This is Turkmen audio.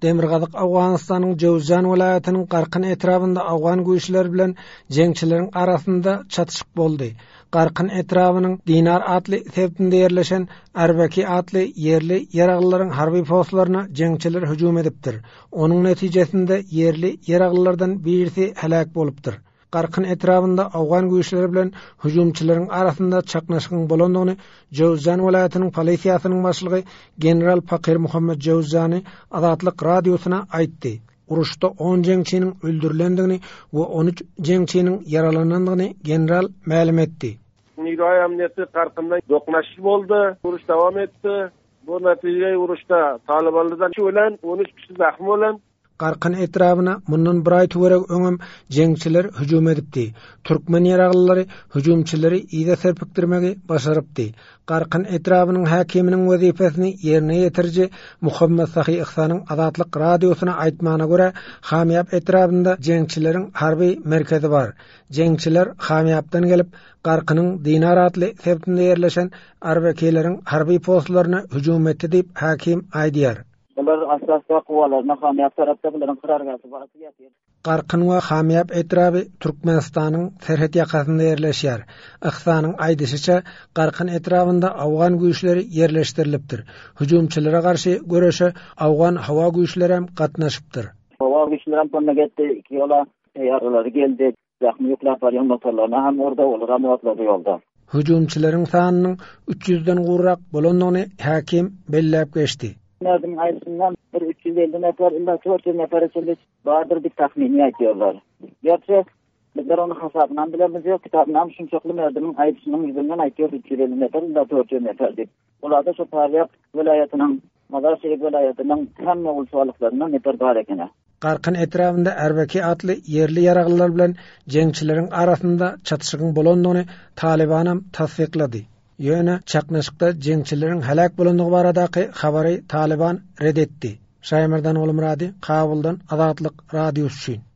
Demirgazyk Owganystanyň Jöwüzjan welaýatynyň Garkyn etrabynda owgan güýçleri bilen jeňçileriň arasynda çatyşyk boldy. Garkyn etrabynyň Dinar atly sebitinde ýerleşen Arbeki atly ýerli ýaraglylaryň harby postlaryna jeňçiler hüjüm edipdir. Onuň netijesinde ýerli ýaraglylardan birisi heläk bolupdyr. Garkyn etrabynda owgan güýçleri bilen hüjümçileriň arasynda çaknyşygyň bolandygyny Jöwüzjan welaýatynyň polisiýasynyň başlygy general Pakir Muhammet Jöwüzjany Azatlyk Radiosyna aýtdy. Uruşda on jeňçiniň öldürilendigini we 13 jeňçiniň ýaralanandygyny general mälim etdi. Niroi amniýeti Garkynda doknaşyk boldy, uruş dowam etdi. Bu netije uruşda talybanlardan ölen 13 kişi zahm bolan. Garkyn etrabyna mundan bir aý töweregi öňem jeňçiler hüjüm edipdi. Türkmen ýaraglylary hüjümçileri yza serpikdirmegi başarypdy. Garkyn etrabynyň häkiminiň wezipesini ýerine ýetiriji Muhammet Sahy Yhsanyň Azatlyk Radiosyna aýtmagyna görä, Hamýap etrabynda jeňçileriň harby merkezi bar. Jeňçiler Hamýapdan gelip, Garkynyň Dinar atly sebitinde ýerleşen Arbekeleriň harby postlaryna hüjüm etdi diýip, häkim aýdýar. Bular asla guwalaryna Hamýap tarapda bularyň karargähi bar ýatyr. Garkyn we Hamýap etraby Türkmenistanyň serhet ýakasynda ýerleşýär. Yhsanyň aýdyşyça, Garkyn etrabynda owgan güýçleri ýerleşdirilipdir. Hüjümçilere garşy göreşe owgan howa güýçlerem gatnaşypdyr. Howa güýçlerem kömek etdi, iki ýola teýýaralary geldi. Zähmi ýükläp barýan motorlaryna hem urdy, olaram otlady ýolda. Hüjümçileriň sanynyň üç ýüzden gowrak bolandygyny häkim belläp geçdi. Merdiň aýdyşyndan bir 350 nefer illa 400 nefere çenli bardyr diýip tahmini aýdýarlar. Gerçi bizler onuň hasabynam bilemizok, ýok, kitabynam şunçakly merdimiň aýdyşynyň ýüzünden aýtýar 350 nefer illa 400 nefer diýip. Olarda şo Parýap welaýatynyň, Mazar-Şerif welaýatynyň hemme ulçalyklaryndan nefer bar ekeni. Garkyn etrabynda Erbeki atly ýerli ýaraglylar bilen jeňçileriň arasynda çatyşygyň bolandygyny Talybanam tassyklady. Ýöne çaknyşykda jeňçileriň heläk bolandygy baradaky habary Talyban ret etdi. Şaýmerdan Gulmyrady, Kabuldan Azatlyk Radiosy üçin.